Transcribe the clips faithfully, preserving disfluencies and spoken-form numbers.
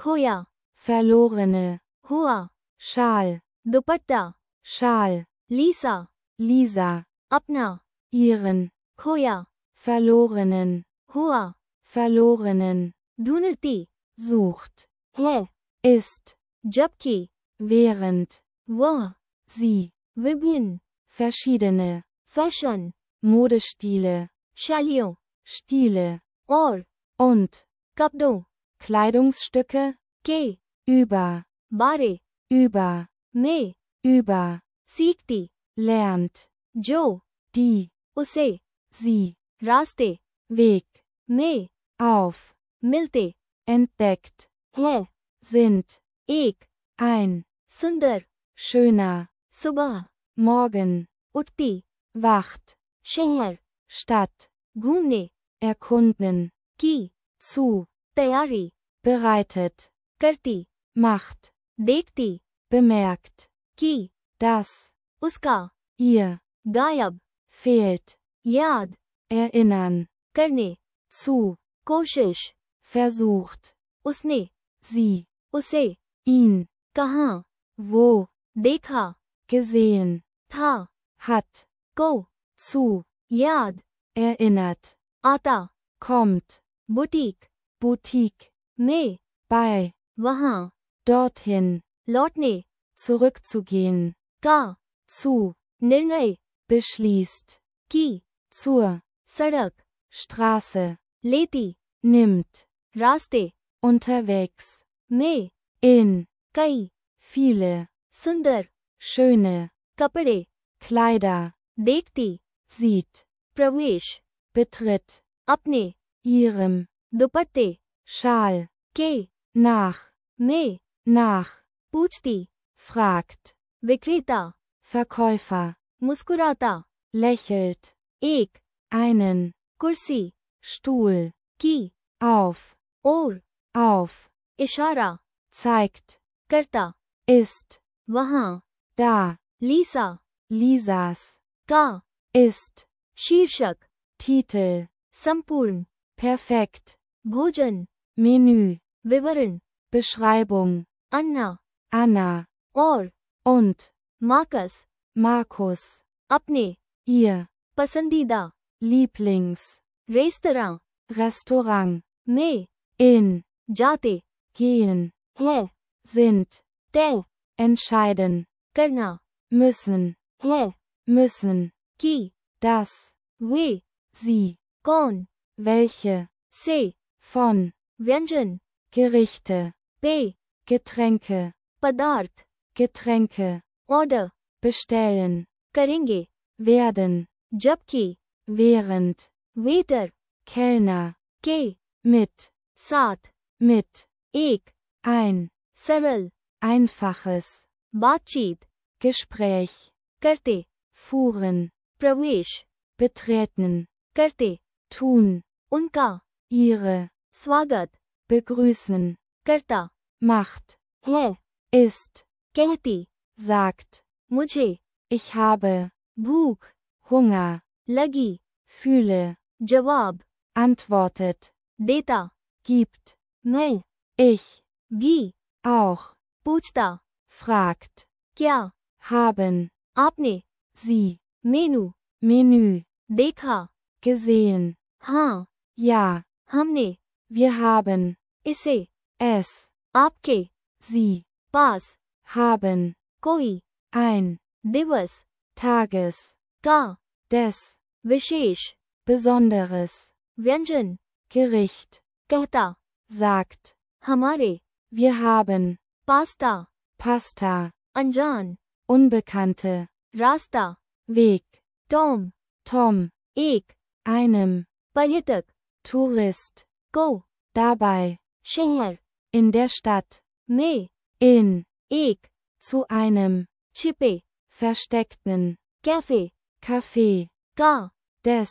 खोया, verlorene, हुआ, Schal, दुपट्टा, Schal, लीसा, Lisa, अपना, ihren, खोया, verlorenen, हुआ, verlorenen, ढूंढती, sucht, है, ist, जबकि, während, वह, sie, विभिन्न, verschiedene, फैशन, Modestile, शैलियों, Stile, और, und, कपड़ों, Kleidungsstücke, के, über, बारे, über, में, über, सीखती, lernt, जो, die, उसे, sie, रास्ते, Weg, में, auf, मिलते, entdeckt, है, sind, एक, ein, सुंदर, schöner, सुबह, morgen, उठती, wacht, शहर, Stadt, घूमने, erkunden, की, zu, तैयारी, bereitet, करती, macht, देखती, bemerkt, की, das, उसका, ihr, गायब, fehlt, याद, erinnern, करने, zu, कोशिश, versucht, उसने, sie, उसे, ihn, कहाँ, wo, देखा, gesehen, था, hat, को, zu, याद, erinnert, आता, kommt, बुटीक, Boutique, में, bei, वहाँ, dorthin, लौटने, zurückzugehen, का, zu, निर्णय, beschließt, की, zur, सड़क, Straße, लेती, nimmt, रास्ते, unterwegs, में, in, कई, viele, सुंदर, schöne, कपड़े, Kleider, देखती, sieht, प्रवेश, betritt, अपने, ihrem, दुपट्टे, Schal, के, nach, में, nach, पूछती, fragt, विक्रेता, Verkäufer, मुस्कुराता, lächelt, एक, einen, कुर्सी, Stuhl, की, auf, और, auf, इशारा, zeigt, करता, ist, वहाँ, da, लीसा, Lisas, का, ist, शीर्षक, Titel, संपूर्ण, perfekt, भोजन, Menü, विवरण, Beschreibung, अन्ना, Anna, और, und, मार्कस, Markus, अपने, ihr, पसंदीदा, Lieblings, रेस्तरां, Restaurant, में, in, जाते, gehen, है, sind, तय, entscheiden, करना, müssen, है, müssen, की, das, वे, sie, कौन, welche, से, von, व्यंजन, Gerichte, पे, Getränke, पदार्थ, Getränke, ऑर्डर, bestellen, करेंगे, werden, जबकि, während, वेटर, Kellner, के, mit, साथ, mit, एक, ein, सरल, einfaches, बातचीत, Gespräch, करते, fuhren, प्रवेश, betreten, करते, tun, उनका, ihre, स्वागत, begrüßen, करता, macht, है, ist, कहती, sagt, मुझे, ich habe, भूख, Hunger, लगी, fühle, जवाब, antwortet, देता, gibt, मैं, ich, भी, auch, पूछता, fragt, क्या, haben, आपने, sie, मेनू, Menü, देखा, gesehen, हाँ, ja, हमने, wir haben, इसे, es, आपके, sie, पास, haben, कोई, ein, दिवस, Tages, का, des, विशेष, Besonderes, व्यंजन, Gericht, कहता, sagt, हमारे, wir haben, पास्ता, Pasta, अनजान, Unbekannte, रास्ता, Weg, टॉम, Tom, एक, einem, पर्यटक, Tourist, को, dabei, शहर, in der Stadt, में, in, एक, zu einem, छिपे, versteckten, कैफे, Café, का, des,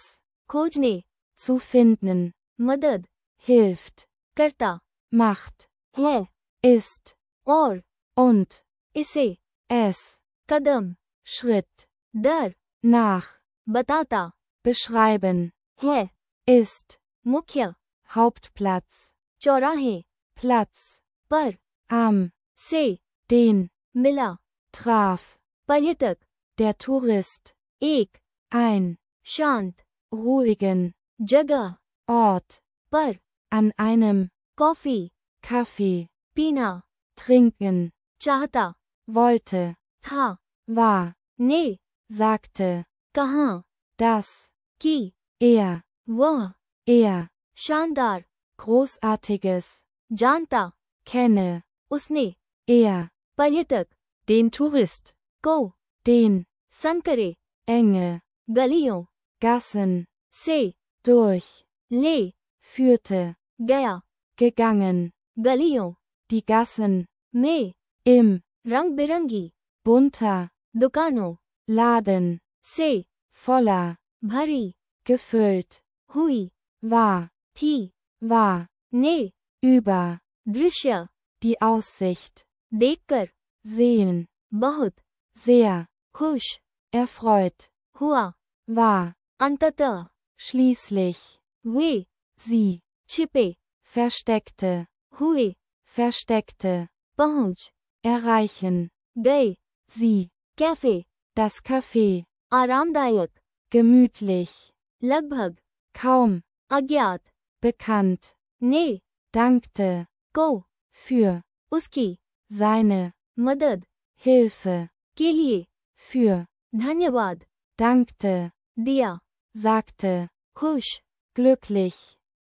खोजने, zu finden, मदद, hilft, करता, macht, है, ist, और, und, इसे, es, कदम, Schritt, दर, nach, बताता, beschreiben, है, ist, मुख्य, Hauptplatz, चौराहे, Platz, पर, am, से, den, मिला, traf, पर्यटक, der Tourist, एक, ein, शांत, ruhigen, जगह, Ort, पर, an einem, कॉफी, Kaffee, पीना, trinken, चाहता, wollte, था, war, ने, sagte, कहाँ, das, की, er, वह, er, शानदार, Großartiges, जानता, kenne, उसने, er, पर्यटक, Den Tourist. को, den, संग करे, enge, गलियों, Gassen, से, durch, ले, führte, गया, gegangen, गलियों, die Gassen, में, im, रंग बिरंगी, bunter, दुकानों, Laden, से, voller, भरी, gefüllt, हुई, war, थी, war, ने, über, दृश्य, die Aussicht, देखकर, sehen, बहुत, sehr, खुश, erfreut, हुआ, war, अंततः, schließlich, वे, sie, छिपे, versteckte, हुए, versteckte, पहुंच, erreichen, गए, sie, कैफे, das Café, आरामदायक, gemütlich, लगभग, kaum, अज्ञात, bekannt, ने, dankte, को, für, उसकी, seine, मदद, Hilfe, के लिए, für, धन्यवाद, dankte, दिया, sagte, खुश, glücklich,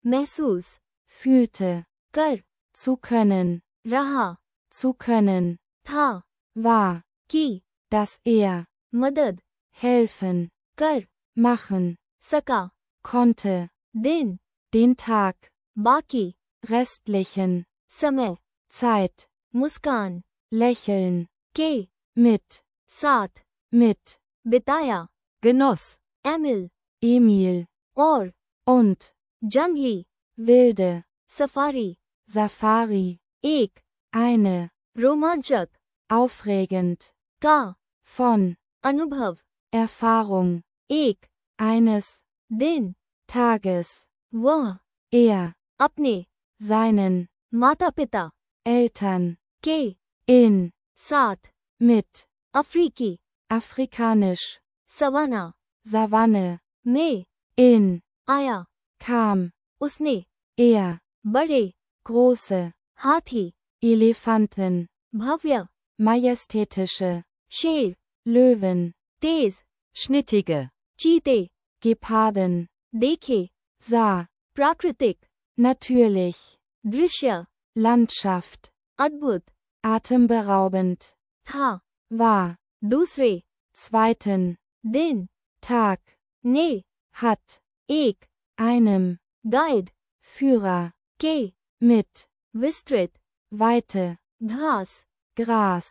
महसूस, fühlte, कर, zu können, रहा, zu können, था, war, की, dass er, मदद, helfen, कर, machen, सका, konnte, दिन, den Tag, बाकी, restlichen, समय, Zeit, मुस्कान, lächeln, के, mit, साथ, mit, बिताया, Genoss. एमिल, Emil, और, und, जंगली, wilde, सफारी, Safari, एक, eine, रोमांचक, aufregend, का, von, अनुभव, Erfahrung, एक, eines, दिन, Tages, वह, er, अपने, seinen, माता पिता, Eltern, के, in, साथ, mit, अफ्रीकी, afrikanisch, सवाना, Savanne, में, in, आया, kam, उसने, er, बड़े, große, हाथी, Elefanten, भव्य, majestätische, शेर, Löwen, तेज, Schnittige. चीते, Geparden, देखे, sah, प्राकृतिक, natürlich, दृश्य, Landschaft, अद्भुत, atemberaubend, था, war, दूसरे, zweiten, दिन, Tag, ने, hat, एक, einem, गाइड, Führer, के, mit, विस्तृत, Weite, घास, Gras,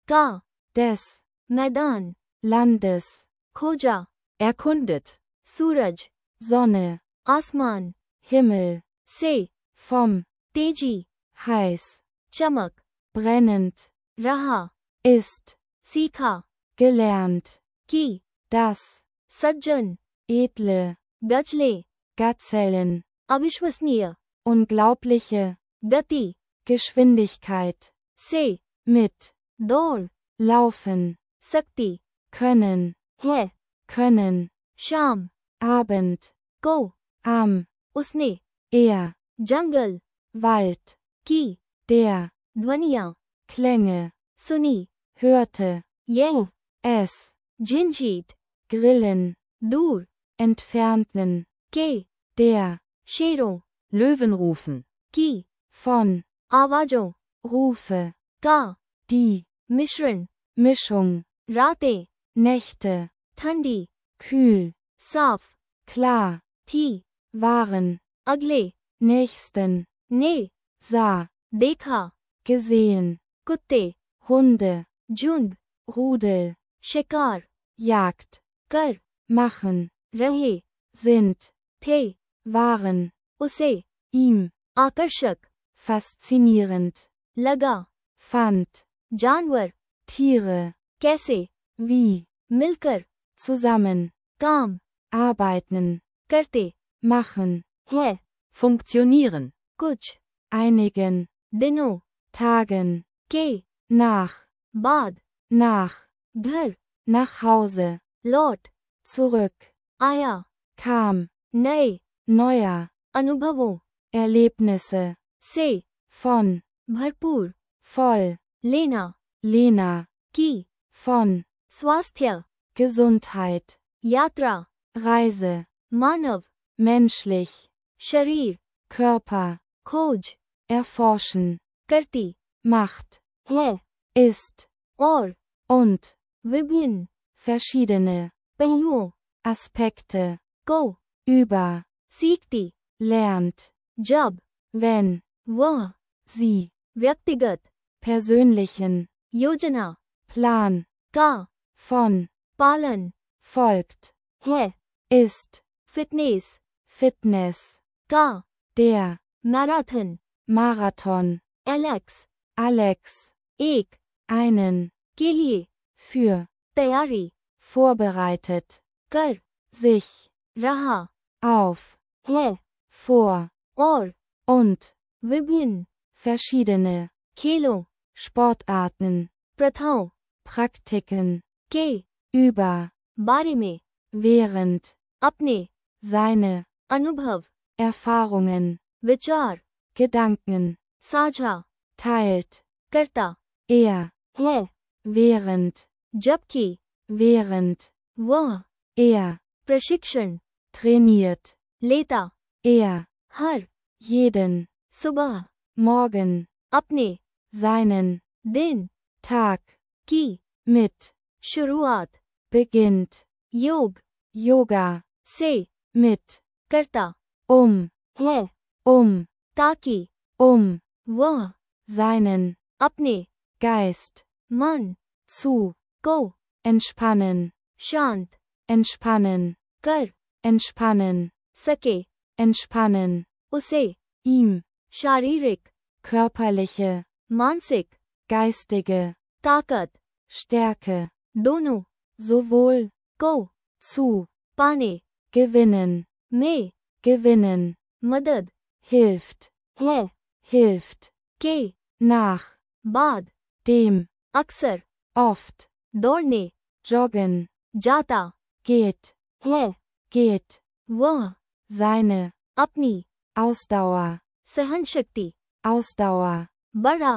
का, des, मैदान, Landes, खोजा, Erkundet. सूरज, Sonne, आसमान, Himmel, से, vom, तेजी, heiß, चमक, brennend, रहा, ist, सीखा, gelernt, की, das, सज्जन, edle, गचले, Gazellen, अविश्वसनीय, unglaubliche, गति, Geschwindigkeit, से, mit, दौड़, laufen, सकती, können, है, können, शाम, Abend, को, am, उसने, er, जंगल, Wald, की, der, ध्वनियाँ, Klänge, सुनी, hörte, यह, es, झिंझीट, grillen, दूर, entfernten, के, der, शेरों, Löwen rufen. की, von, आवाजों, Rufe, का, die, मिश्रण, Mischung, रातें, Nächte, ठंडी, kühl, साफ, klar, थी, waren, अगले, nächsten, ने, sah, देखा, gesehen, कुत्ते, Hunde, झुंड, Rudel, शिकार, Jagd, कर, machen, रहे, sind, थे, waren, उसे, ihm, आकर्षक, faszinierend, लगा, fand, जानवर, Tiere, कैसे, wie, मिलकर, zusammen, काम, arbeiten, करते, machen, है, Funktionieren. कुछ, einigen, दिनों, tagen, के nach, बाद nach, घर nach Hause, लौट zurück, आया kam, नए neuer, अनुभवों Erlebnisse, से von, भरपूर voll, लेना Lena, की von, स्वास्थ्य Gesundheit, यात्रा Reise, मानव menschlich, शरीर Körper, खोज erforschen, करती macht, है ist, और und, विभिन्न verschiedene, पहलुओं Aspekte, को über, सीखती lernt, जब wenn, वह sie, व्यक्तिगत persönlichen, योजना Plan, का von, पालन folgt, है ist, फिटनेस Fitness, का der, marathon Marathon, Alex Alex, एक einen, के लिए für, तैयारी vorbereitet, कर sich, रहा auf, है vor, और und, विभिन्न verschiedene, खेलों Sportarten, प्रथाओं Praktiken, के über, बारे में während, अपने seine, अनुभव Erfahrungen, विचार Gedanken, साझा teilt, करता er, है während, जबकि während, वह er, प्रशिक्षण trainiert, लेता er, हर jeden, सुबह morgen, अपने seinen, दिन Tag, की mit, शुरुआत beginnt, योग Yoga, से mit, करता um, है um, ताकि um, वह seinen, अपने Geist, मन zu, को entspannen, शांत entspannen, कर entspannen, सके entspannen, उसे ihm, शारीरिक körperliche, मानसिक geistige, ताकत Stärke, दोनों sowohl, को zu, पाने gewinnen, में gewinnen, मदद hilft, है hilft, के nach, बाद dem, अक्सर oft, दौड़ने joggen, जाता geht, है geht, वह seine, अपनी Ausdauer, सहन शक्ति Ausdauer, बढ़ा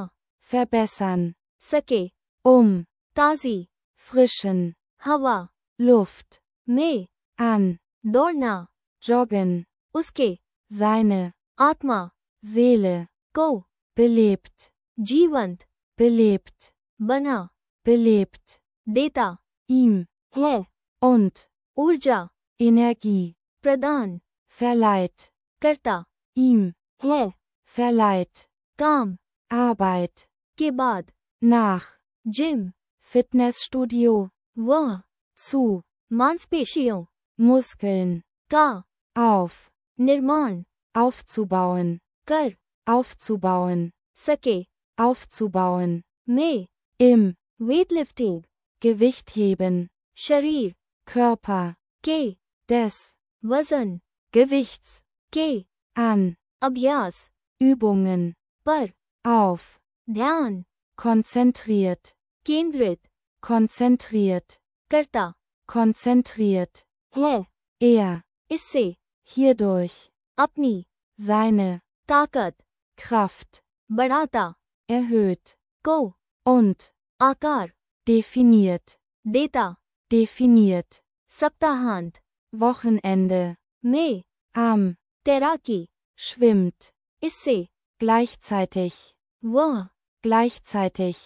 verbessern, सके um, ताजी frischen, हवा Luft, में an, दौड़ना joggen, उसके seine, आत्मा Seele, को belebt, जीवंत belebt, बना belebt, देता ihm, है und, ऊर्जा Energie, प्रदान verleiht, करता ihm, है verleiht, काम Arbeit, के बाद nach, जिम Fitnessstudio, वह zu, मांसपेशियों Muskeln, का auf, निर्माण aufzubauen, कर aufzubauen, सके aufzubauen, में im, वेटलिफ्टिंग Gewicht heben, शरीर Körper, के des, वजन Gewichts, के an, अभ्यास Übungen, पर auf, ध्यान konzentriert, केंद्रित konzentriert, करता konzentriert, है er, इससे hierdurch, अपनी seine, ताकत Kraft, बढ़ाता erhöht, को und, आकार definiert, देता definiert, सप्ताहांत Wochenende, में am, तैराकी schwimmt, इससे gleichzeitig, वह gleichzeitig,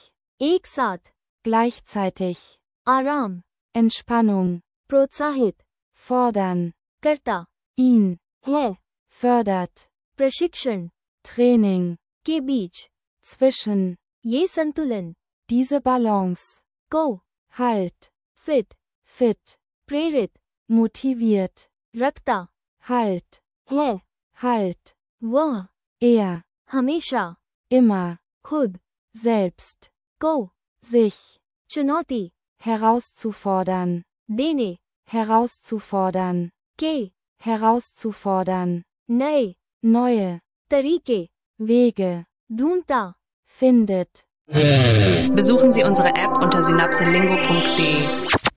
एक साथ gleichzeitig, आराम Entspannung, प्रोत्साहित fordern, करता ihn, है fördert, प्रशिक्षण Training, के बीच zwischen, ये संतुलन diese Balance, को halt, फिट fit, प्रेरित motiviert, रखता halt, है halt, वह er, हमेशा immer, खुद selbst, को sich, चुनौती herauszufordern, देने herauszufordern, के herauszufordern, नए neue, तरीके Wege, ढूंढता findet. Besuchen Sie unsere App unter synapselingo punkt de.